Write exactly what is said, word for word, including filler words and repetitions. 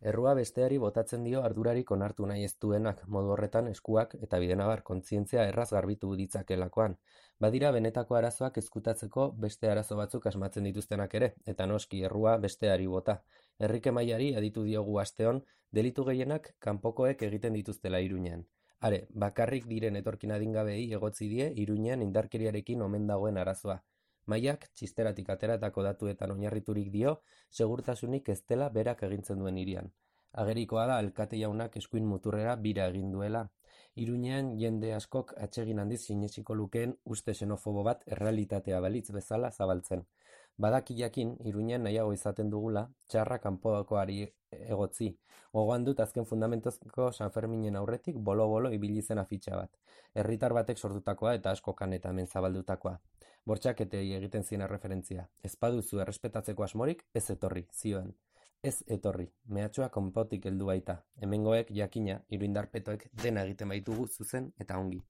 Errua besteari botatzen dio ardurarik onartu nahi ez duenak, modu horretan eskuak eta bidenabar kontzientzia erraz garbitu ditzakelakoan. Badira benetako arazoak ezkutatzeko beste arazo batzuk asmatzen dituztenak ere, eta noski errua besteari bota. Herrike Mailari aditu diogu asteon, delitu gehienak kanpokoek egiten dituztela Iruñean. Are, bakarrik diren etorkin adingabeei egotzi die Iruñean indarkeriarekin omen dagoen arazoa. Maiak, txisteratik ateratako datuetan oinarriturik dio, segurtasunik ez dela berak egintzen duen hirian. Agerikoa da alkate jaunak eskuin muturrera bira egin duela. Iruñean jende askok atsegin handiz sinesiko lukeen uste xenofobo bat errealitatea balitz bezala zabaltzen. Badaki jakin, Iruñean nahiago izaten dugula, txarra kanpokoari egotzi. Gogoan dut azken fundamentozko San Ferminen aurretik bolo-bolo ibili zen afitxa bat. Herritar batek sortutakoa eta asko kaneta hemen zabaldutakoa. Bortxaketei egiten zina referentzia. Ez baduzu errespetatzeko asmorik, ez etorri, zioen. Ez etorri, mehatxua konpotik heldu baita. Hemengoek jakina, iruindarpetoek dena egiten baitugu zuzen eta ongi.